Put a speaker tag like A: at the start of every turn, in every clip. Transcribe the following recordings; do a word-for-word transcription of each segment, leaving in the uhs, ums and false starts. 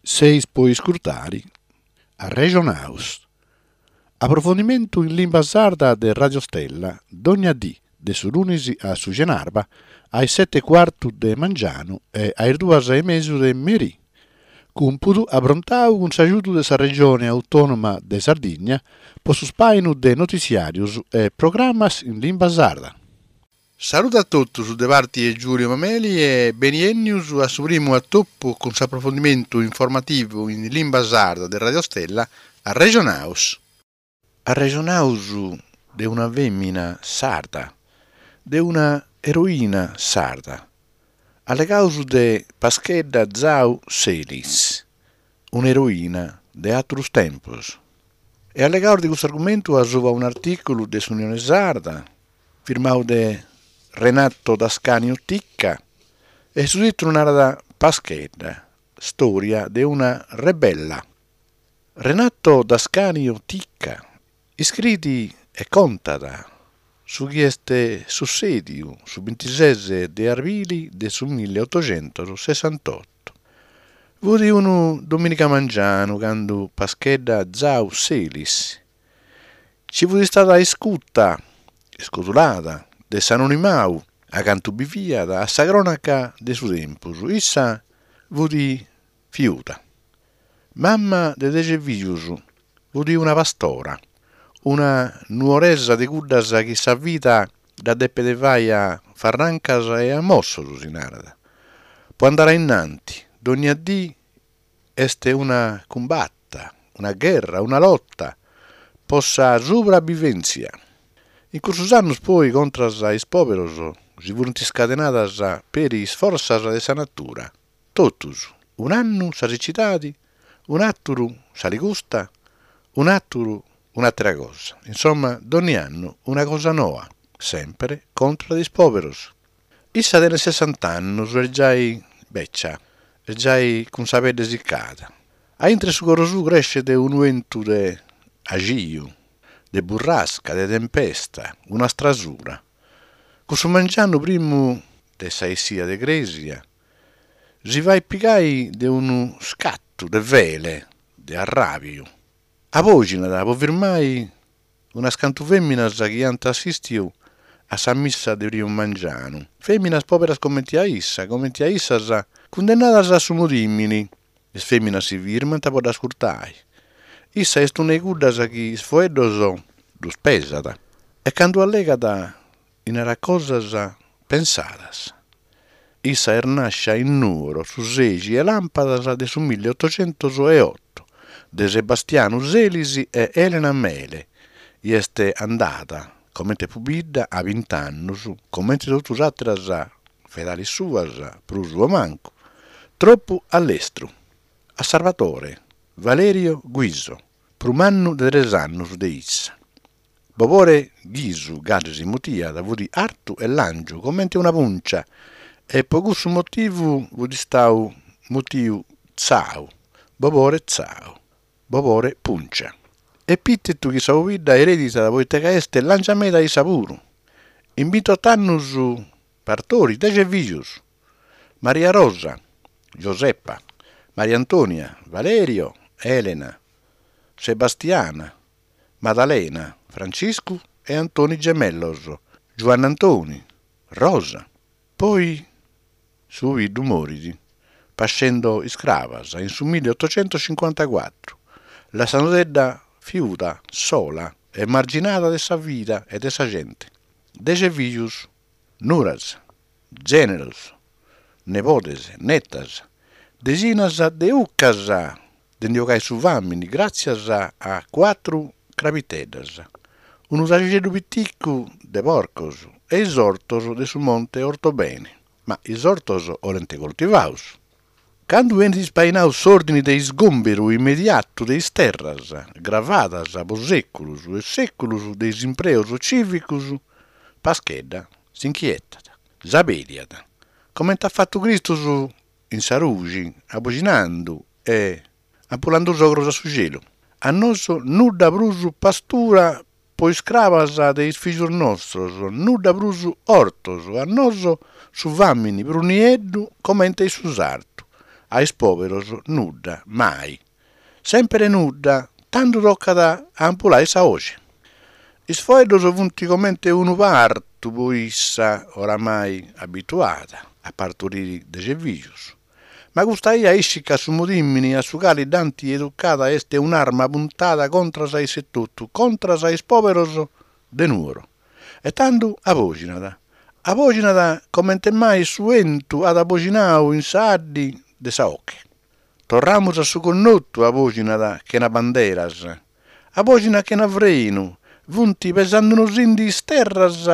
A: Seis po iscurtare Arrexonaus. Aprofondimentu in limba sarda de Radio Stella, dogna dì, de su lunis a su cenarba, a is sete e cuartu de mangianu e a is duas e mesu de merì. Cumpudu aprontadu cun s'agiudu de sa Regione Autònoma de Sardigna pro su ispàinu de notitziàrios e programmas in limba sarda. Salude a totus de parte 'e Giulio Mameli e beniènnios a su primu atopu cun s'aprofondimentu informativu in limba sarda de Radio Stella Arrexonaus. Arrexonaus de una fèmina sarda, de una eroina sarda. Allegaus de Paschedda Zau Selis, un'eroina de àteros tempos. E allegaus de custu argumentu a subra un'artìculu de s'Unione Sarda, firmadu de Renato Dascanio Ticca, e su tìtulu narat Paschedda, storia de una rebella. Renato Dascanio Ticca iscriet e contat su chi est sutzèdidu su bintises de arbile de su milliotoghentos sessantotto. Fiat unu domìniga mangianu cando Paschedda Zau Selis, chi fiat istada iscuta, iscodulada, de s'anonimadu acantu biviat a sa crònaca de su tempus, issa fiat fiuda. Mama de deghe fìgios, fiat una pastora, una nuoresa de cuddas chi sa vida dda depet fàghere a farrancas e a mossos, si narat. Pro andare a in antis, dogna die est una cumbata, una gherra, una lota pro sa supravivèntzia. In cussos annos poi contras a is pòberos si fiant iscadenadas peri is fortzas de sa natura, totus, un'annu sa sichidade, un'àteru s'aligusta, un'àteru un'àtera cosa. Insomma, dogni annu una cosa noa, semper contra de is pòberos. Issa tenet sessanta annos, est giai betza, est giai cun sa pedde sicada. A intre su coro suo creschet unu bentu de agiu, de burrasca, de tempesta, una strasura. Cussu mangianu primu de sa essida de crèsia, si faghet pigare de unu scatu de fele, de arràbiu. Abòghinat pro firmare unas cantu fèminas chi ant assìstidu a sa missa de primu mangianu, fèminas pòberas comente a issa, comente a issas, cundennadas a su mudìmine. Is fèminas si firmant pro dd'ascurtare. Issa est una de cuddas chi is foeddos ddos pesat e cando allegat narat cosas pensadas. Issa est nàschida in Nùgoro su sèighi de làmpadas de su milliotoghentos e oto, de Sebastiano Selis e Elena Mele, e est andada, comente pobidda, a bint'annos, comente totu sas àteras fedales suas, prus o mancu, tropu a lestru, a Salvatore Valerio Guiso, prus mannu de tres annos de issa. Bobore Ghisu, gasi si mutiat, fiat artu e làngiu comente una pùncia e pro cussu motivu fiat istadu mutidu Zau, Bobore Zau, Bobore Pùncia. Epìtetu chi sa pobidda ereditat pro ite ca est làngia meda issa puru. In bintotto annos partorit deghe fìgios: Maria Rosa, Gioseppa, Maria Antonia, Valerio, Elena, Sebastiana, Madalena, Franciscu e Antoni gemellos, Giuanne Antoni, Rosa. Poi su pobiddu morit, pascendo is crabas, in su milliotoghentocincuantacuatro, lassandodda fiuda, sola, emarginada de sa vida e de sa gente. Deghe fìgios, nuras, gèneros, nebodes, netas, deghinas de 'ucas de nde 'ogare su fàmine gràtzias a cuatru crabiteddas, unu tagixeddu piticu de porcos e is ortos de su Monte Ortobene. Ma is ortos 'olent coltivados. Cando benit ispainadu s'òrdine de isgòmberu immediatu de is terras, gravadas pro sèculos e sèculos de is impreos tzìvicos, Paschedda s'inchietat, s'abèliat, comente at fatu Cristos in sa ruche, aboghinende e ampulende is ogros a su chelu. A nois nudda prus pastura pro is crabas de is fìgios nostros, nudda prus ortos, a nois su fàmine prus nieddu comente su sartu. A is pòberos nudda, mai. Semper nudda, tando tocat a ampulare sa boghe. Is faeddos sunt comente unu partu pro issa, oramai abituada a partorire deghe fìgios. Ma custa bia ischit ca su mudìmene a su cale l'ant educada est un'arma puntada contra a issa etotu, contra a is pòberos de Nùgoro. E tando abòghinat. Abòghinat comente mai su bentu at aboghinadu in sa 'Adde de sa 'Oghe. Torramus a su connotu, abòghinat chena banderas. Abòghinat chena frenu. Sunt pesende·nos·nde is terras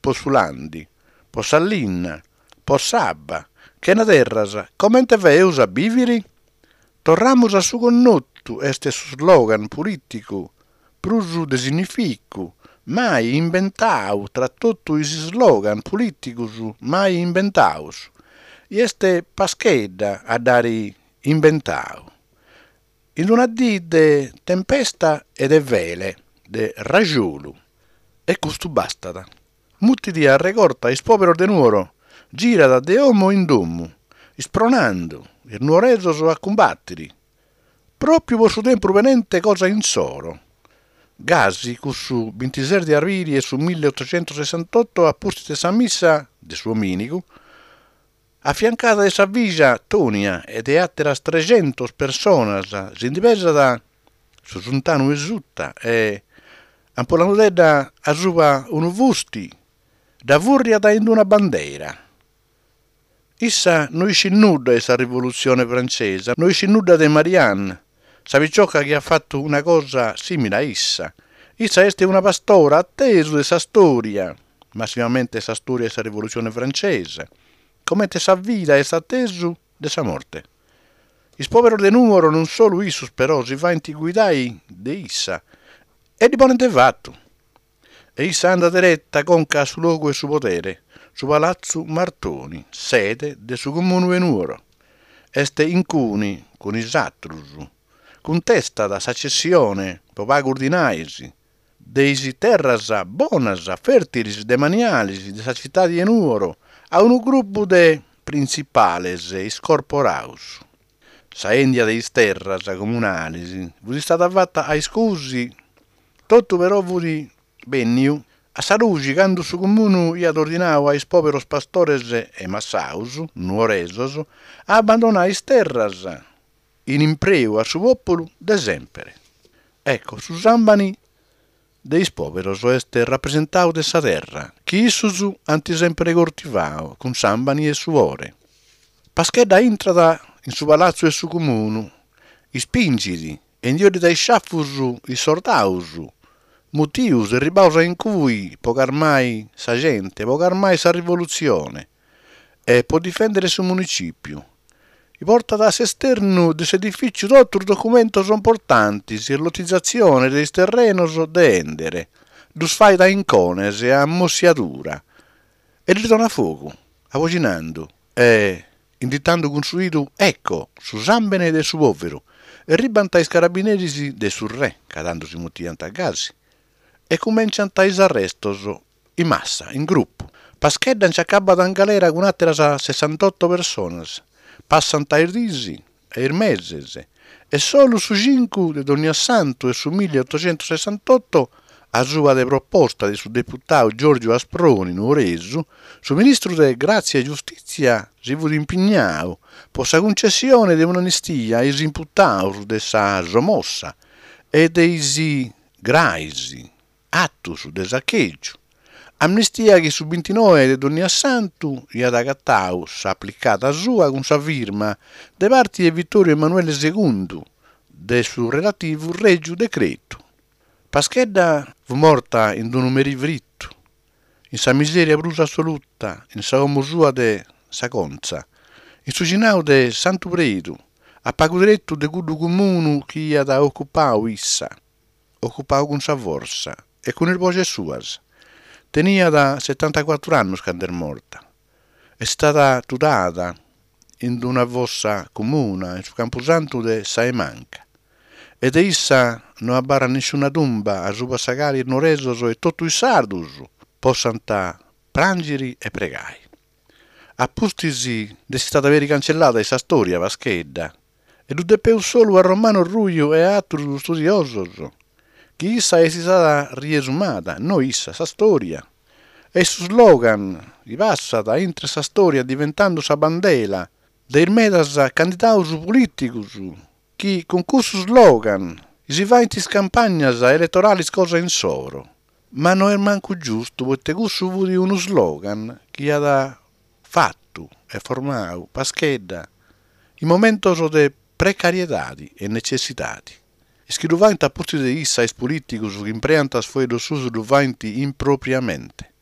A: pro su lande, pro sa linna, pro s'abba. Chena terras, comente faghimus a bìvere? Torramus a su connotu est su slogan polìticu prus de significu mai imbentadu tra totu is slogan polìticos mai imbentados. E est Paschedda a dd'àere imbentadu. In una die de tempesta e de fele, de rajolu. E custu bastat. Mutit a regorta is pòberos de Nùgoro, girat de domo in domo, ispronende is nugoresos a cumbàtere, pròpiu pro su tempus benente cosa issoro. Gasi, cussu bintises de abrile de su milliottoghentosessantoto, a pustis de sa missa de su domìnigu, afiancada de sa fìgia Tonia e de àteras treghentas persones, si nde pesat dae su suntanu 'e suta e, ampulende·dda a subra unu fuste, dda fùrriat in una bandera. Issa no ischit nudda de sa Rivolutzione Frantzesa, no ischit nudda de Marianne, sa pitzoca chi at fatu una cosa sìmile a issa. Issa est una pastora a tesu de sa istòria, massimamente sa istòria de sa Rivolutzione Frantzesa, comente sa vida est a tesu de sa morte. Is pòberos de Nùgoro, non solu issos però, si faghent guidare de issa e ddi ponent fatu. E issa andat dereta conca a su logu 'e su podere, su Palatzu Martoni, sede de su Comunu 'e Nùgoro. Est in cune cun is àteros, cuntestat sa tzessione, pro pagos dinais, de is terras bonas, fèrtiles, demaniales de sa tzitade 'e Nùgoro a unu grupu de printzipales iscorporados. Sa 'èndida de is terras comunales fiat istada fata a iscusi, totu però fiat bènnidu a sa lughe cando su Comunu aiat ordinadu a is pòberos pastores e massajos nugoresos a abbandonare is terras in impreu a su pòpulu de semper. Ecco, su sàmbene de is pòberos est rapresentadu de sa terra, chi issos ant semper coltivadu cun sàmbene e suore. Paschedda intrat in su palatzu 'e su Comunu, ispinghet e nde 'oddit a isciafos is sordados, mutidos e arribados a in cue pro carmare sa gente, pro carmare sa rivolutzione e pro difèndere su munitzìpiu. Portat a s'esternu de s'edifìtziu totu is documentos importantes, is lotizatziones de is terrenos de 'èndere, ddos faghet a incones, a mossiadura, e ddis donat fogu, aboghinende e inditende cun su 'idu «Ecco, su sàmbene de su pòveru!» Arribant is carabineris de su re, ca tando si mutiant gasi, e cumenciant is arrestos, in massa, in grupu. Paschedda nch'acabbat in galera cun àteras sessantotto persones. Passant is dies e is meses e solu su cincu de Donniassantu 'e su milliottoghentosessantotto, a suba de proposta de su deputadu Giorgio Asproni, nugoresu, su ministru de Gràtzia e Giustìtzia si fiat impignadu pro sa cuntzessione de un'amnistia a is imputados de sa sommossa e de is graes atos de sachègiu. Amnistia chi su bintinoe de Donniassantu aiat agatadu s'aplicada sua cun sa firma, de parte de Vittorio Emanuele segundu, de su relativu règiu decretu. Paschedda fiat morta in unu merie fritu, in sa misèria prus assoluta, in sa domo sua de Sa Contza, in su 'ighinadu de Santu Predu, a pagu tretu de cuddu comunu chi aiat ocupadu issa, ocupadu cun sa fortza e cun is boghes suas. Teniat setantacuatro annos cando est morta. Est istada tudada in una fossa comuna in su campusantu de Sa 'e Manca. E de issa no abarrat nisciuna tumba a suba sa cale is nugoresos e totu is sardos possant prànghere e pregare. A pustis nd'est istada peri cancellada in sa stòria Paschedda, e ddu depeus solu a Romano Ruiu e a àterus studiosos, chi issa est istada riesumada, no issa, sa stòria. E su slogan chi passat intre sa stòria diventende sa bandela de is medas candidados polìticos chi cun cussu slogan si faent is campagnas eletorales cosa issoro. Ma no est mancu giustu, proite cussu fiat unu slogan chi at fatu e formadu Paschedda in momentos de precariedade e netzessidade. Is chi ddu faent a pustis de issa is polìticos chi impreant is faeddos suos ddu faent impropriamente.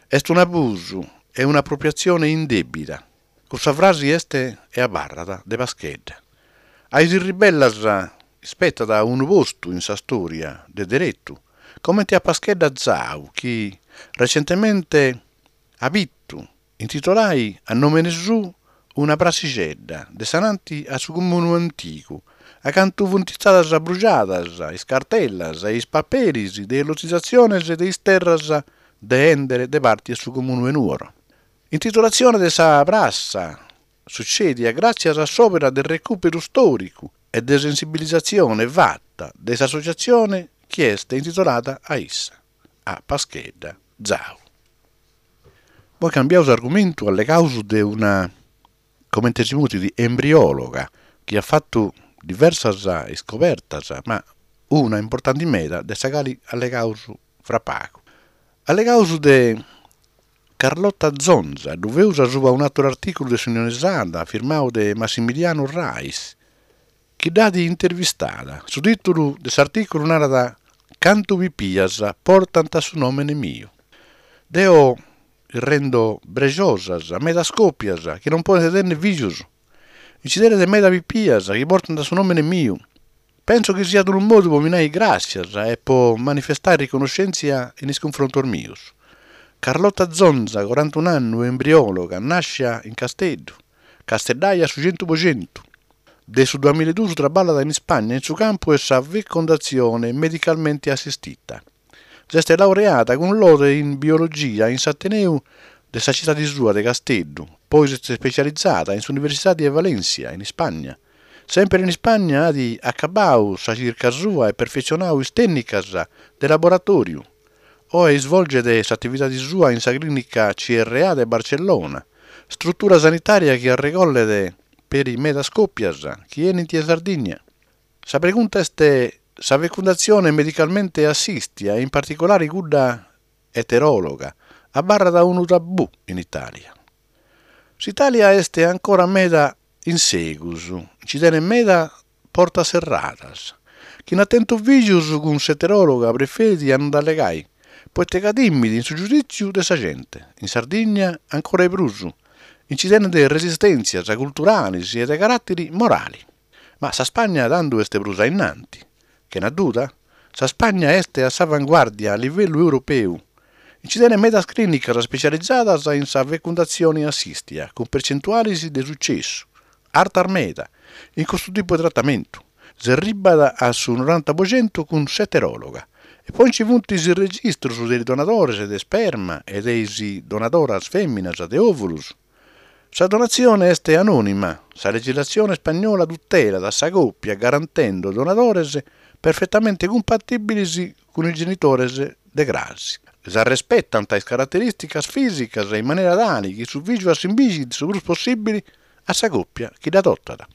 A: Est un'abusu e un'apropriatzione indèbida. Cussa frase est e abarrat de Paschedda. A is ribellas ispetat unu postu in sa stòria de deretu, comente a Paschedda Zau chi recentemente at bidu intitolare a nòmene suo una pratzixedda de s'ananti a su comunu antigu, acanta sunt istadas brujadas is cartellas e is paperis de is lotizatziones de is terras de bèndere de parte de su comunu de Nùgoro. Intitolatzione de sa pratza sutzèdia gràtzias a s'òpera de recùperu istòricu e de sensibilizatzione fata de s'assotziatzione chi est intitolada a issa, a Paschedda Zau. Poi cambiamus argumentu allegamus de una, comente si mutit, embriòloga, chi at fatu diversas iscobertas, ma una importante meda de sa cale allegamus fra pagu. Allegamus de Carlotta Zonza, ddu faeus subra un'àteru artìculu de s'Unione Sarda, firmadu de Massimiliano Rais, chi dd'at intervistada. Su tìtulu de s'artìculu narat Cantu pipias portant su nòmene meu. Deo rendo brexosas medas còpias chi non podent tènnere fìgios. Nci tenet meda pipias chi portant su nòmene meu. Penso chi siat unu modu pro mi nare gràtzias e pro manifestare riconnoschèntzia in is cunfrontos meos. Carlotta Zonza, corantun'annu, embriòloga, nàschida in Casteddu, casteddaja a su chentu pro chentu. De su duamilla e duos traballat in Ispagna in su campu de sa fecundatzione medicalmente assistita. S'est laureada cun lode in biologia in s'Ateneu de sa tzitade sua de Casteddu, poi s'est ispetzializada in s'Universidade de València, in Ispagna. Semper in Ispagna at acabadu sa chirca sua e perfetzionadu is tècnicas de laboratòriu. Oe isvolget s'atividade sua in sa clìnica C R A de Barcellona, istrutura sanitària chi regollet peri medas còpias chi benint in Sardigna. Sa pregunta est sa fecundatzione medicalmente assistia, in particolare cudda eteròloga, abarrat unu tabù in Itàlia. S'Itàlia est ancora meda in segus, nci tenet meda portas serradas. Chie at tentu fìgios cun s'eteròloga preferit a non nd'allegare, proite ca timet in su giudìtziu de sa gente. In Sardigna ancora de prus, nci tenet resistèntzias culturales e de caràtere morale. Ma sa Spagna tando est prus a innanti. Chena duda, sa Spagna est a s'avanguàrdia a livellu europeu. Nci tenet medas clìnicas ispetzializadas in sa fecundatzione assistia, cun pertzentuales de sutzessu artas meda in custu tipu de tratamentu. S'arribat a su noranta pro chentu cun s'eteròloga. E poi nci sunt is registros de is donadores de sperma e de is donadoras fèminas de òvulos. Sa donatzione est anònima. Sa legislatzione ispagnola tutelat sa còpia garantende donadores perfetamente cumpatìbiles cun is genitores de cras. S'arrespetant is caraterìsticas fìsicas in manera tale chi su fìgiu assimbigit su prus possìbile a sa còpia chi dd'adotat.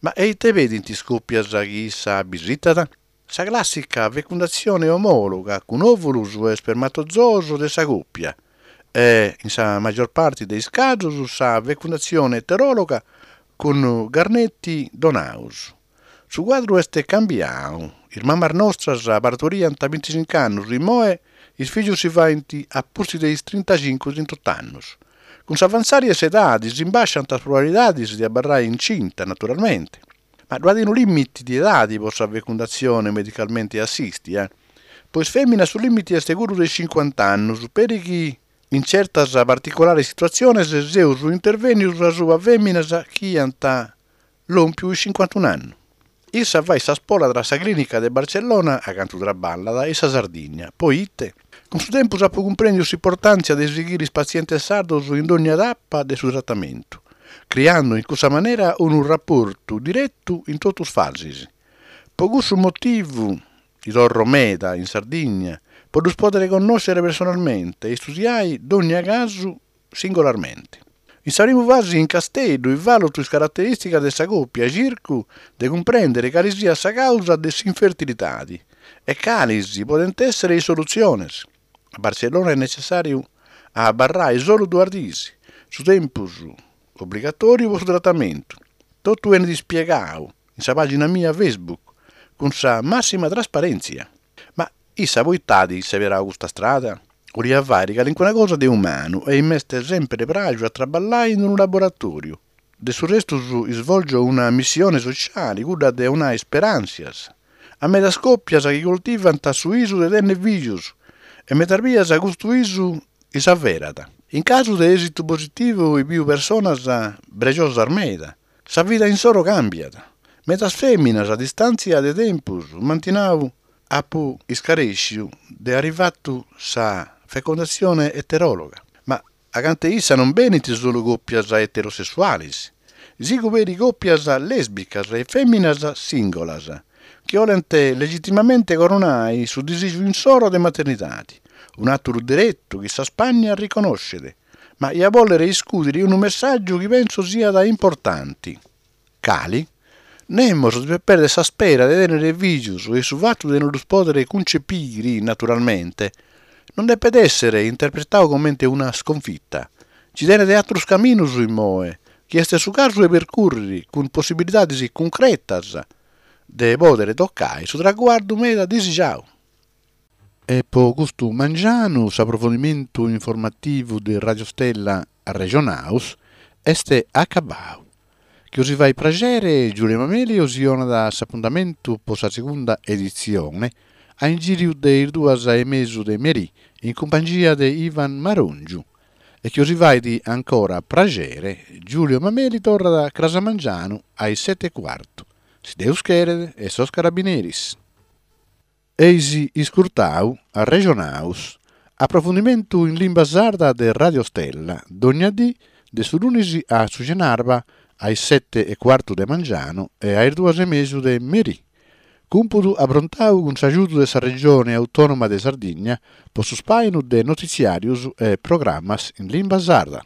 A: Ma e ite pedint is còpias chi issa bisitat? Sa clàssica fecundatzione omòloga cun òvulos e ispermatozoos de sa còpia e, in sa maggior parte de is casos, sa fecundatzione eteròloga cun garnetti donados. Su cuadru est cambiadu. Is mamas nostras partoriant a binticinco annos, immoe is fìgios si faent a pustis de is trintacinco-trintotto annos. Cun s'avantzare de s'edade s'imbàsciant is probabilidades de abarrare incinta, naturalmente. Ma ddo'at unu lìmite de edade pro sa fecundatzione medicalmente assistia. Pro is fèminas su lìmite est cuddu de is cincuanta annos, peri chi in tzertas particulares situatziones seus intervènnidos subra fèminas chi ant lòmpidu is cincuantun'annos. Issa faghet sa spola tra sa clìnica de Barcellona, acanta traballat, e sa Sardigna. Proite? Cun su tempus apo cumprèndidu s'importàntzia de sighire is patzientes sardos in ogna tapa de su tratamentu, criende in cussa manera unu raportu diretu in totu is fases. Pro custu motivu torro meda in Sardigna pro ddos pòdere connòschere personalmente e istudiare ogna casu singolarmente. In sa prima fase in Casteddu vàluto is caraterìsticas de sa còpia e chirco de cumprèndere cale siat sa càusa de s'infertilidade e cales podent èssere is solutziones. A Bartzellona est netzessàriu a abarrare solu duas dies, su tempus obligatòriu pro su tratamentu. Totu benit ispiegadu in sa pàgina mea Facebook cun sa màssima trasparèntzia. Ma issa pro ite at seberadu custa istrada? Cheriat fàghere calicuna cosa de umanu e m'est semper pràghidu a traballare in unu laboratòriu. De su restu isvòlgio una missione sotziale, cudda de donare isperàntzias a medas còpias chi coltivant su bisu de tènnere fìgios e medas bias custu bisu s'averat. In casu de èsitu positivu bido persones prejosas meda. Sa vida issoro càmbiat. Medas fèminas a distàntzia de tempus m'ant nadu apo iscarèssidu de àere fatu sa fecundatzione eteròloga. Ma acanta issa non benint solu còpias eterosessuales. Sigo peri còpias lèsbicas e fèminas sìngulas, chi cherent legìtimamente coronare su disìgiu issoro de maternidade, un'àteru deretu chi sa Ispagna reconnoschet. Ma dia bòlere iscùdere unu messàgiu chi penso siat importante. Cale? Nemos devet pèrdere s'ispera de tènnere fìgios e su fatu de non ddos pòdere cuntzepire naturalmente non depet èssere interpretadu comente una iscunfita. Chi tenet àteros caminos immoe, chi est su casu de percùrrere cun possibilidades cuncretas de pòdere tocare su traguardu meda disigiadu. E pro custu mangianu s'aprofundimentu informativu de Radio Stella Arrejonaus est acabadu. Chi bos faghet praghere Giulio Mameli bos donat s'apuntamentu pro sa segunda editzione a ingìriu de is duas e mesu de merì in cumpangia de Ivan Marongiu. E chi bos faghet ancora praghere Giulio Mameli torrat cras mangianu a is sete e cuartu. Si Deus cheret e sos carabineris. Eis iscurtadu Arrejonaus, aprofundimentu in limba sarda de Radio Stella, dogna die de su lunis a su chenarba a is sete e cuartu de mangianu e a is duas e mesu de merì. Cumpudu aprontadu cun s'agiudu de sa Regione Autònoma de Sardigna pro su ispàinu de notitziàrios e programmas in limba sarda.